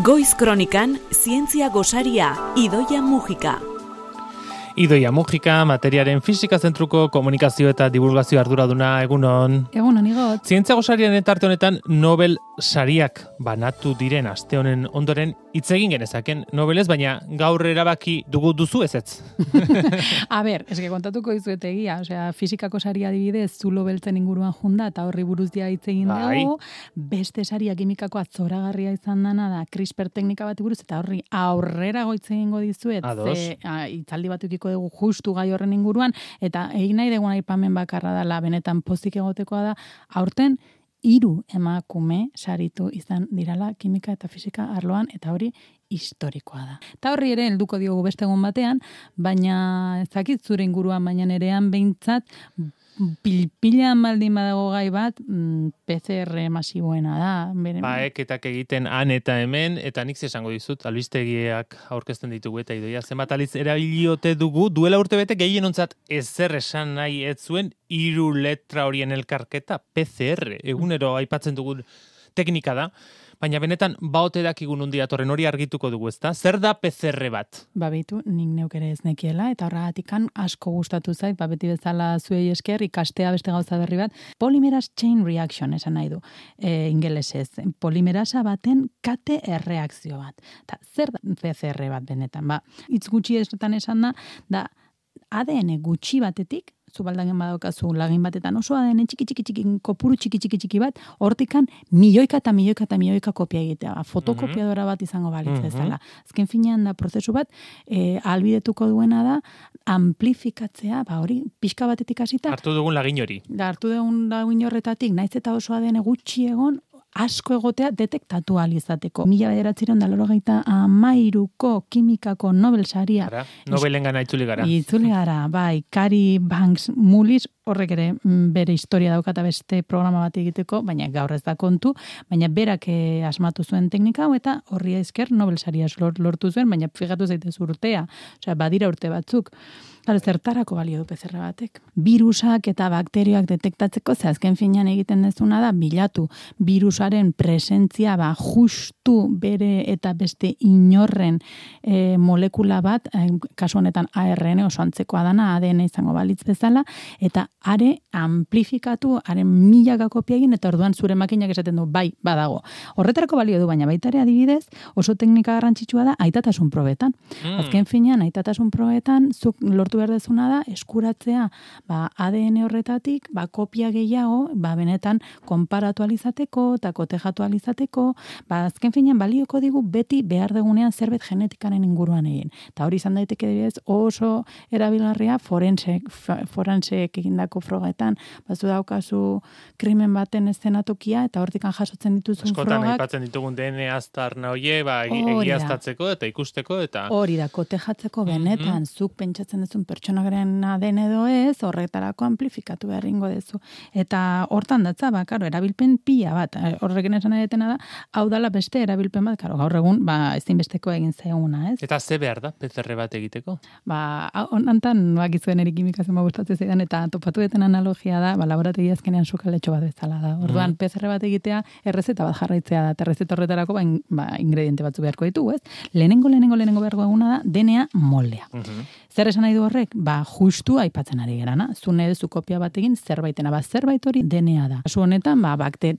Goiz Kronikan, zientzia gosaria, Idoia Mujika. Idoia Mujika, materiaren fisika zentruko komunikazio eta divulgazio arduraduna, egunon. Egunon, igot. Zientzia gosariaren tarte honetan Nobel sariak banatu diren aste honen ondoren hitz egin genezaken Nobelez, baina gaur erabaki duzu ezetz. A ber, eske kontatuko dizuet egia, fisikako saria adibidez, zulo beltzen inguruan junda eta horri buruz dia hitz egin dugu. Beste saria kimikakoa zoragarria izan dana da CRISPR teknika bat buruz eta horri aurrera goitze egingo dizuet. Hitzaldi bat edukiko dugu justu gai horren inguruan eta egin nahi dugun aipamen bakarra dela benetan pozik egotekoa da aurten 3 emakume saritu izan dirala kimika eta fisika arloan eta hori historikoa da. Eta horri ere helduko diogu beste egun batean, baina ez dakit zure inguruan baina nerean behintzat pilpilean baldin badago gai bat, PCR masiboena da. Eketak egiten han eta hemen, eta nik esango dizut, albistegiak aurkezten ditugu eta Idoia zenbat aliz erabiliote dugu, duela urtebete gehienontzat ezer esan nahi ez zuen 3 letra horien elkarketa, PCR, egunero aipatzen dugun teknika da, baina benetan baote dakigun nondik datorren hori argituko dugu, ezta? Zer da PCR bat? Beitu, nik neuk ere ez nekiela, eta horregatikan asko gustatu zait, beti bezala zuei esker, ikastea beste gauza berri bat, polymerase chain reaction esan nahi du, ingelesez, polimerasa baten kate erreakzio bat. Ta, zer da PCR bat benetan? Hitz gutxi esan da ADN gutxi batetik, zubaldagen badaukazu lagin batetan oso ADN txiki, kopuru txiki bat, hortikan milioika kopia egitea. Fotokopiadora bat izango balitz bezala. Azken finean da prozesu bat, ahalbidetuko duena da, amplifikatzea, hori pixka batetik hasita. Hartu dugun lagin hori. Hartu dugun lagin horretatik, naiz eta oso ADN gutxi egon, asko egotea detektatu alizateko. 1993ko kimikako Nobel saria. Nobelengana itzuli gara. Bai, Cary Banks Mullis, horrek ere bere historia daukata beste programa bat egiteko, baina gaur ez da kontu, baina berak asmatu zuen teknika hau eta horri esker Nobel saria lortu zuen, baina fijatu zaitez urtea, badira urte batzuk. Zertarako balio du PCR batek. Virusak eta bakterioak detektatzeko, azken finean egiten dezuna da, bilatu virusaren presentzia justu bere eta beste inorren molekula bat, kasu honetan ARN oso antzekoa dana, ADN izango balitz bezala, eta are amplifikatu, haren 1000 kopia egin, eta orduan zure makinak esaten du, bai, badago. Horretarako balio du, baina baita ere adibidez, oso teknika garrantzitsua da, aitatasun probetan. Azken finean, aitatasun probetan, zuk lortu behar dezuna da, eskuratzea ADN horretatik, kopia gehiago, benetan konparatu alizateko, eta kotejatu alizateko, azken finean balioko digu beti behar degunean zerbait genetikaren inguruan egin. Eta hori izan daiteke dibidez oso erabilgarria forenseek egindako frogetan, bazu daukazu krimen baten eszenatokia, eta hortikan jasotzen dituzun frogak. Askotan aipatzen ditugun DNA aztarna hoie, egiaztatzeko eta ikusteko, eta... Hori da, kotejatzeko benetan, zuk pentsatzen duzun pertsonagaren ADN edo ez, horretarako amplifikatu beharringo dezu. Eta hortan datza, erabilpen pila bat, horrekin esan edetena da, hau dala beste erabilpen bat, gaur egun, ezinbesteko egin zeuguna, ez? Eta ze behar da, PCR bat egiteko? Honantan, bakizuen erikimikazioa gustatzen zaidan, eta topatu deten analogia da, laborategi azkenean sukaletxo bat bezala da. Orduan, PCR bat egitea, errezeta bat jarraitzea da, errezeta horretarako, ingrediente batzu beharko ditugu, ez? Lehenengo beharko eguna da, DNA moldea. Zer esan nahi du horrek? Justu aipatzen ari gerana. Zune edu kopia bat egin zerbaitena. Zerbait hori DNA da. Kasu honetan,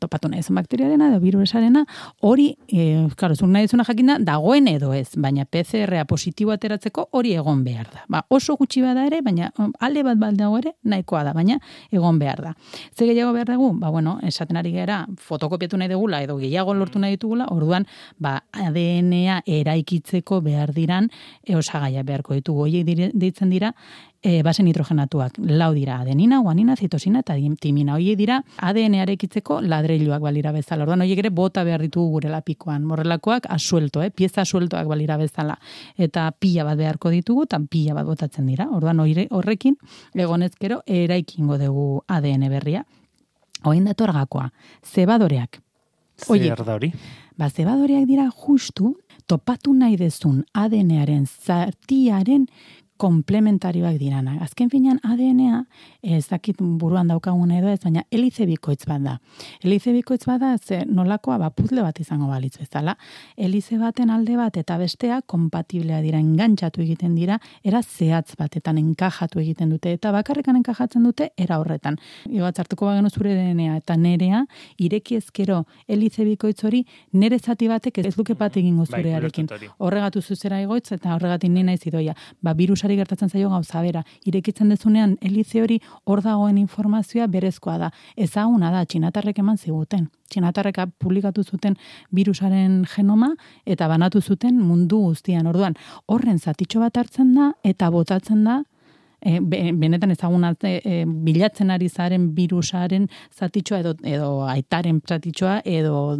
topatu nahi zen bakteriarena edo virusarena, hori, zune nahi zuna jakin da, dagoen edo ez, baina PCR-a positibo ateratzeko hori egon behar da. Oso gutxi bada ere, baina alde bat baldago ere, nahikoa da, baina egon behar da. Ze gehiago behar dugu? Esaten ari gera, fotokopiatu nahi dugula, edo gehiago lortu nahi ditugula, orduan, ADN-a eraikitzeko behar diran, osagaia beharko ditugu. Horiek deitzen dira, base nitrogenatuak, 4 dira, adenina, guanina, zitosina eta timina. Horiek dira ADN eraikitzeko ladreiluak balira bezala. Orduan horiek ere bota behar ditugu gure lapikoan. Morrelakoak asuelto, pieza asueltoak balira bezala. Eta pila bat beharko ditugu, eta pila bat botatzen dira. Orduan horrekin, egonezkero, eraikingo dugu ADN berria. Oin dator gakoa, zebadoreak. Zer da hori? Zebadoreak dira justu, topatu nahi dezun ADN-aren zatiaren komplementarioak dirana. Azken finean ADN-a, ez dakit buruan daukagun edo ez, baina helize bikoitz bat da. Helize bikoitz bat da, ze nolakoa puzle bat izango balitz bezala. Helize baten alde bat eta bestea kompatiblea dira, engantxatu egiten dira, era zehatz batetan enkajatu egiten dute, eta bakarrekan enkajatzen dute era horretan. Hartuko bagenu zure DNA eta nerea, ireki ezkero helize bikoitz hori, nere zati batek ez duke bat egingo zurearekin. Horregatu zuzera egoitz eta horregatik ni naiz Idoia. Birusari gertatzen zaio gauza bera. Irekitzen dezunean helize hori hor dagoen informazioa berezkoa da. Ezaguna da, txinatarrek eman ziguten. Txinatarrek publikatu zuten birusaren genoma eta banatu zuten mundu guztian. Orduan, horren zatitxo bat hartzen da eta botatzen da benetan ezaguna bilatzen ari zaren birusaren zatitxoa edo aitaren zatitxoa edo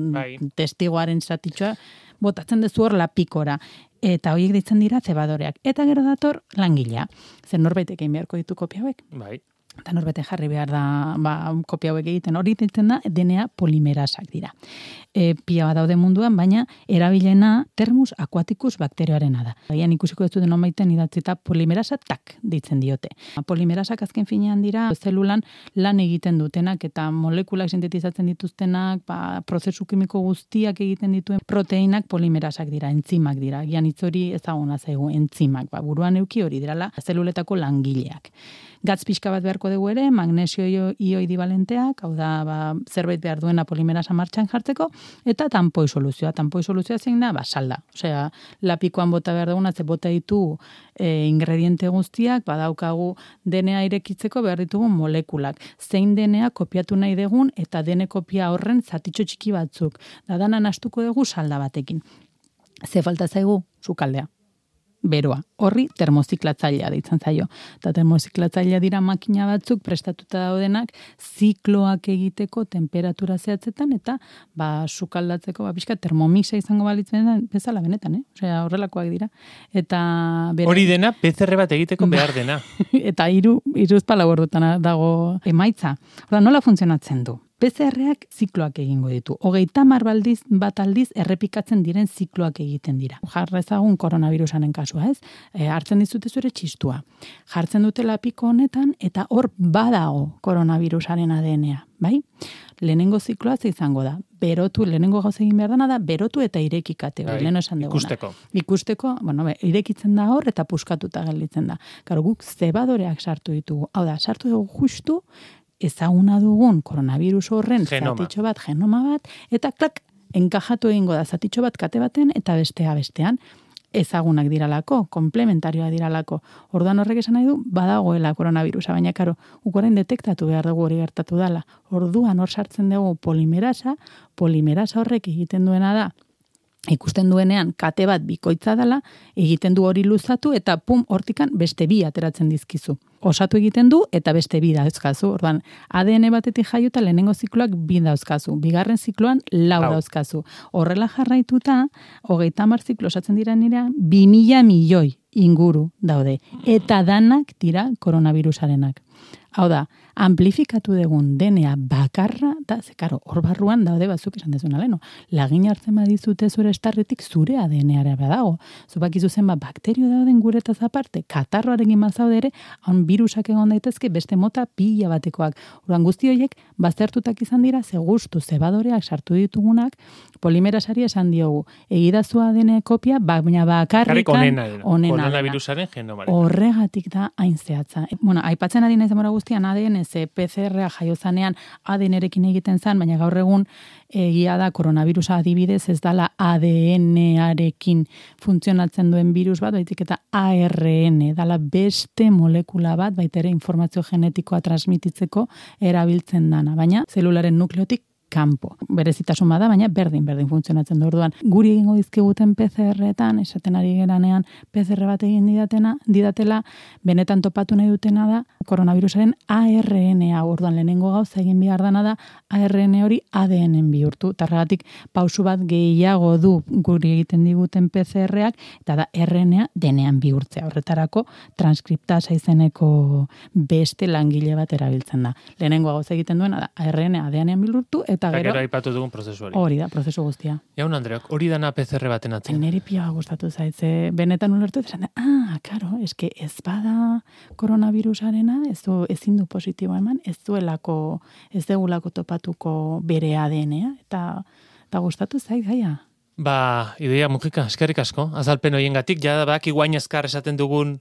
testigoaren zatitxoa botatzen dezu hor lapikora. Eta horiek ditzen dira zebadoreak. Eta gero dator langilea. Zer norbaitek egin beharko ditu kopia hauek. Bai. Eta norbete jarri behar da kopia hauek egiten. Hori ditzen da DNA polimerasak dira. Pila bat daude munduan, baina erabilena termus aquaticus bakterioarena da. Baina ikusiko ez duten nomaiten idatzita polimerasa tak ditzen diote. Polimerasak azken finean dira zelulan lan egiten dutenak eta molekulak sintetizatzen dituztenak, prozesu kimiko guztiak egiten dituen proteinak polimerasak dira, entzimak dira. Gian hitz hori ezaguna zaigu entzimak. Buruan euki hori dirala zeluletako langileak. Gatz pixka bat beharko dugu ere, magnesio ioidi balenteak, hau da zerbait behar duena polimerasa martxan jartzeko, eta tampoi soluzioa. Tampoi soluzioa zein da, salda. Osea, lapikoan bota behar duguna, ze bota ditu ingrediente guztiak, badaukagu DNA irekitzeko behar ditugu molekulak. Zein DNA kopiatu nahi dugun, eta dene kopia horren zatitxo txiki batzuk. Danan astuko dugu salda batekin. Ze falta zaigu, sukaldea. Beroa. Horri termoziklatzailea deitzen zaio. Eta termoziklatzailea dira makina batzuk prestatuta daudenak zikloak egiteko temperatura zehatzetan eta sukaldatzeko pixka termomixa izango balitzen bezala benetan, Osea, horrelakoak dira. Eta hori dena PCR bat egiteko behar dena. Eta hiruzpalau ordutan dago emaitza. Nola funtzionatzen du? PCR-ak zikloak egingo ditu. 30 bat aldiz errepikatzen diren zikloak egiten dira. Jarrezagun koronavirusaren kasua, ez? Hartzen dizute zure txistua. Jartzen dute lapiko honetan eta hor badago koronavirusaren ADN-a, bai? Lehenengo zikloa izango da. Lehenengo gauz egin behar dana da, berotu eta irekikate. Lehen esan duguna. Ikusteko, irekitzen da hor eta puskatuta gelditzen da. Karo, guk zebadoreak sartu ditugu. Hau da, sartu dugu justu ezaguna dugun koronavirus horren zatitxo bat, genoma bat, eta klak, enkajatu egingo da zatitxo bat kate baten eta bestean ezagunak diralako, komplementarioa diralako. Orduan horrek esan nahi du, badagoela koronavirusa, baina karo, ukorain detektatu behar dugu hori gertatu dela. Orduan hor sartzen dugu polimerasa horrek egiten duena da, ikusten duenean kate bat bikoitza dela, egiten du hori luzatu eta hortikan beste bi ateratzen dizkizu. Osatu egiten du eta beste bi dauzkazu. Orduan, ADN batetik jaiota lehenengo zikloak 2 dauzkazu. Bigarren zikloan 4 dauzkazu. Horrela jarraituta, 30 ziklo osatzen dira nira, 2000 milioi inguru daude. Eta danak dira koronavirusarenak. Hau da, amplifikatu dugun DNA bakarra, da, zekaro, hor barruan daude batzuk esan dezuna leno. Lagin hartzen badizute zure estarretik zure ADN-ara badago. Zubakizu zen bakterio dauden guretaz aparte, katarroarekin mazaude ere, hon birusak egon daitezke beste mota pila batekoak. Orduan guzti horiek baztertutak izan dira, ze gustu zebadoreak sartu ditugunak, polimerasari esan diogu. Egidazu ADN kopia, baina bakarrikan onena. Koronavirusaren genomaren. Horregatik da hain zehatza. Aipatzen ari naiz demora guztian ADN, ze PCR-a jaiozanean ADN-erekin egiten zen, baina gaur egun egia da koronavirusa adibidez ez dala ADN-arekin funtzionatzen duen virus bat, baizik eta ARN, dala beste molekula bat, baitere informazio genetikoa transmititzeko erabiltzen dana, baina zelularen nukleotik kanpo. Berezitasun bada, baina berdin funtzionatzen du. Orduan, guri egingo dizkiguten PCR-etan, esaten ari geranean PCR bat egin didatela, benetan topatu nahi dutena da, koronavirusaren ARN-a. Orduan, lehenengo gauza egin behar dana da, ARN hori ADN-en bihurtu. Tarragatik, pausu bat gehiago du guri egiten diguten PCR-ak, eta da RNA denean bihurtzea. Horretarako, transkriptasa izeneko beste langile bat erabiltzen da. Lehenengo gauza egiten duena da, ARN ADN-en bihurtu, eta eta gero gero, aipatu dugun prozesu hori. hori da, prozesu guztia. Jaun Andreok, hori dana PCR baten atzen. Neri pila gustatu zaitze, benetan ulertu esan, karo, eske ez bada koronavirusarena, ezin du positibo eman, ez degulako topatuko bere ADN-a, eta gustatu zait gaia. Idoia Mujika, eskerrik asko, azalpen horiengatik, jada baki guain eskar esaten dugun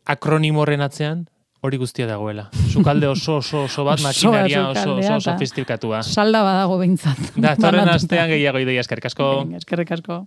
akronimo horren atzean, hori guztia dagoela. Sukalde oso bat, makinaria oso sofistikatua. Salda badago behintzat. Da, torren astean gehiago Idoia, eskerrik asko. Eskerrik asko.